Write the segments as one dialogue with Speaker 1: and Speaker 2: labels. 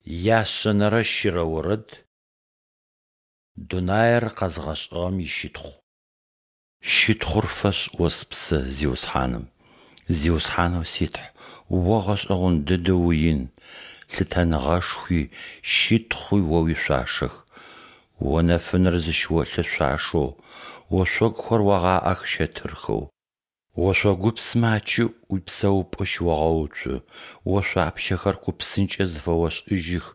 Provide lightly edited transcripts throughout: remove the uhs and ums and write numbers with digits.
Speaker 1: Яшъэнэрэ щырэ орэд Дунаер къэзгъэшӏыгъэм ищытхъу. Щытхъур фэшӏ о спсэ Зиусхьаным! Зиусхьанэу си Тхь, О гъэшӏэгъон дэдэу уин, лъытэныгъэшхуи, щытхъуи О уишъуашэх. О нэфынэр зыщыолъы шъуашэу, ошъогухэр огъаӏэх щэтырхэу. Ошъогупсмэ акӏыӏу уипсэупӏэ щыогъэуцу, ошъуапщэхэр ку псынкӏэ зыфэошӏыжьых,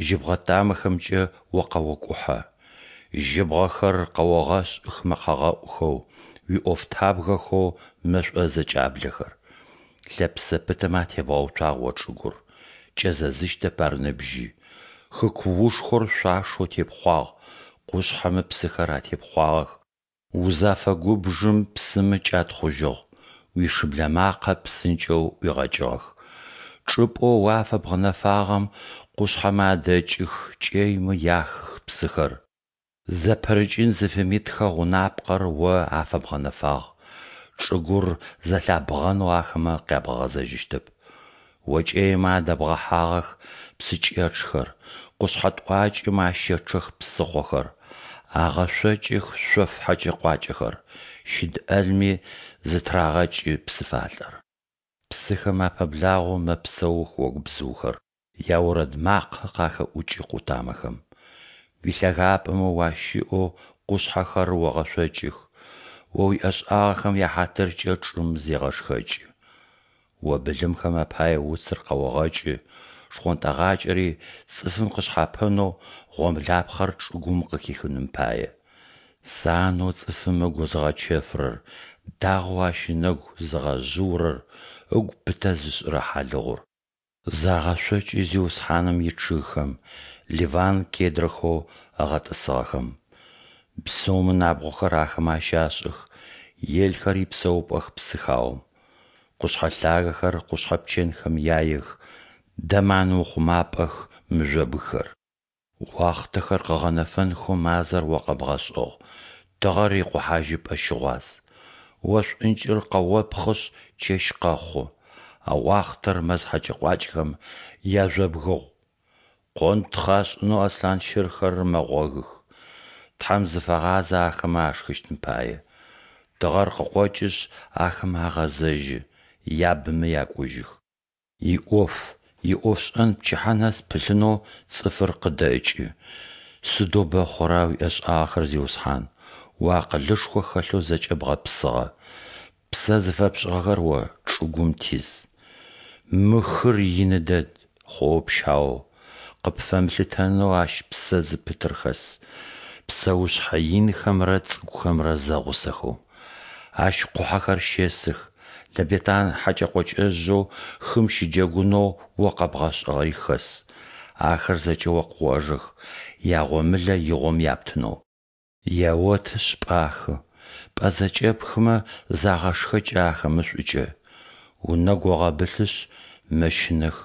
Speaker 1: жьыбгъэ тамэхэмкӏэ О къэокӏухьэ. Жьыбгъэхэр къэогъэшӏых мэкъэгъэӏухэу, уиӏофтабгэхэу мэшӏо зэкӏаблэхэр. Лъэпсэ пытэмэ атебгъэуцуагъ о чӏыгур, кӏэзэзыщтэп ар ныбжьи. Хы куушхор шъуашэу тепхъуагъ, къушъхьэмэ псыхэр атепхъуагъэх. Узафэгубжым псымэ кӏатхъужьыгъ, уишыблэ макъэ псынкӏэу ӏуигъэкӏыгъэх. Чӏыпӏэу О афэбгъэнэфагъэм къушъхьэмэ адэкӏых, кӏэймэ яхых псыхэр. Зэпырыкӏын зыфимытхэ гъунапкъэр О афэбгъэнэфагъ, чӏыгур зэлъябгъэнэу ахэмэ къябгъэгъэзэжьыщтэп. О кӏэймэ адэбгъэхьагъэх псыкӏэчъхэр, къушъхьэ тӏуакӏэмэ ащэчъэх псыхъохэр. Агъэшъокӏых шъоф хьэкӏэ-къуакӏэхэр, щыд ӏэлми зэтырагъэкӏы псыфалӏэр. Псыхэм апэблагъэу мэпсэух огубзыухэр, яорэд макъэ къахэӏукӏы къутамэхэм. Уилъэгапӏэмэ уащыӏэу къушъхьэхэр огъэшъокӏых, О уиӏэшӏагъэхэм яхьатыркӏэ чӏым зегъэшхэкӏы. О былымхэм апае уцыр къэогъэкӏы, шхъонтӏэгъакӏэри цӏыфым къышъхьапэнэу гъомлапхъэр чӏыгум къыхихыным пае. Санэу цӏыфым ыгу зыгъэчэфырэр, дагъэу ащ ынэгу зыгъэжъыурэр, ыгу пытэ зышӏырэ хьалыгъур. Загъэшъокӏы Зиусхьаным ичъыгхэм, Ливан кедрэхэу ыгъэтӏысыгъэхэм. Бзыумэ набгъохэр ахэмэ ащашӏых, елхэр ипсэупӏэх псыхаом. Къушъхьэ лъагэхэр къушъхьэ пчэнхэм яех, дэман ухъумапӏэх мыжъобгхэр. Уахътэхэр къыгъэнэфэнхэу мазэр О къэбгъэшӏыгъ, тыгъэр икъохьажьыпӏэ щыгъуаз. О шӏункӏыр къэопхъышъ, чэщ къэхъу, а уахътэр мэз хьэкӏэ-къуакӏэхэм яжъобгыгъу. Къонтхъ ашӏынэу аслъан щырхэр мэгъогых, Тхьэм зыфагъазэ ахэмэ ашхыщтым пае. Тыгъэр къыкъокӏышъ, ахэмэ агъэзэжьы, ябымэ якӏужьых. Иӏоф, иӏофшӏэн пчыхьэ нэс пылъынэу цӏыфыр къыдэкӏы. Сыдэу бэ хъура уиӏэшӏагъэхэр, Зиусхьан! Уиакъылышхо хэлъэу зэкӏэ бгъэпсыгъэ. Псэ зыфэпшӏыгъэхэр О чӏыгум тиз. Мы хыр ины дэд, хъоо-пщау, къыпфэмылъытэнэу ащ псэ зыпытыр хэс, псэушъхьэ инхэмрэ цӏыкӏухэмрэ зэгъусэхэу. Ащ къухьэхэр щесых, Лэбетан хьэкӏэ-къокӏэжъэу хым щыджэгунэу О къэбгъэшӏыгъэри хэс. Ахэр зэкӏэ О къыожэх, ягъомылэ игъом яптынэу. Яотышъ, пӏахы, пӏэ зэкӏэпхымэ, загъэшхэкӏы ахэмэ шӏукӏэ. Унэгу огъэбылъышъ, мэщынэх,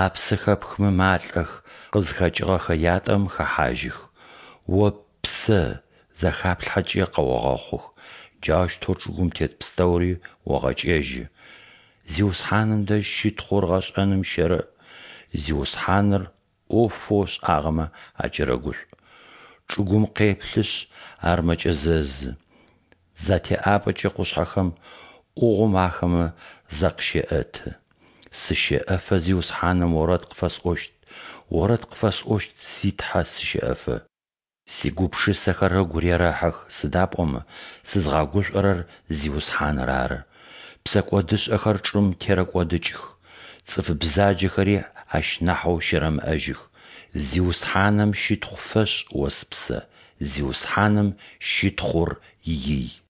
Speaker 1: апсэ хэпхымэ, малӏэх, къызхэкӏыгъэхэ ятӏэм хэхьажьых. О ппсэ захаплъхьэкӏэ къэогъэхъух, джаущтэу чӏыгум тет пстэури огъэкӏэжьы. Зиусхьаным дэжь щытхъур гъэшӏэным щэрэӏ, Зиусхьаныр ӏофэу ышӏагъэмэ акӏэрэгушӏу. Чӏыгум къеплъышъ, ар мэкӏэзэзы, затеӏабэкӏэ къушъхьэхэм ӏугъом ахэмэ закъыщеӏэты. Сыщэӏэфэ Зиусхьаным орэд къыфэсӏощт, орэд къыфэсӏощт си Тхьэ сыщэӏэфэ. Сигупшысэхэр ыгу рерэхьых, сыда пӏомэ сызгъэгушӏорэр Зиусхьаныр ары. Псэкӏодышӏэхэр чӏым терэкӏодыкӏых, цӏыф бзаджэхэри ащ нахьэу щэрэмыӏэжьых. Зиусхьаным щытхъу фэшӏ, о спсэ, Зиусхьаным щытхъур ий.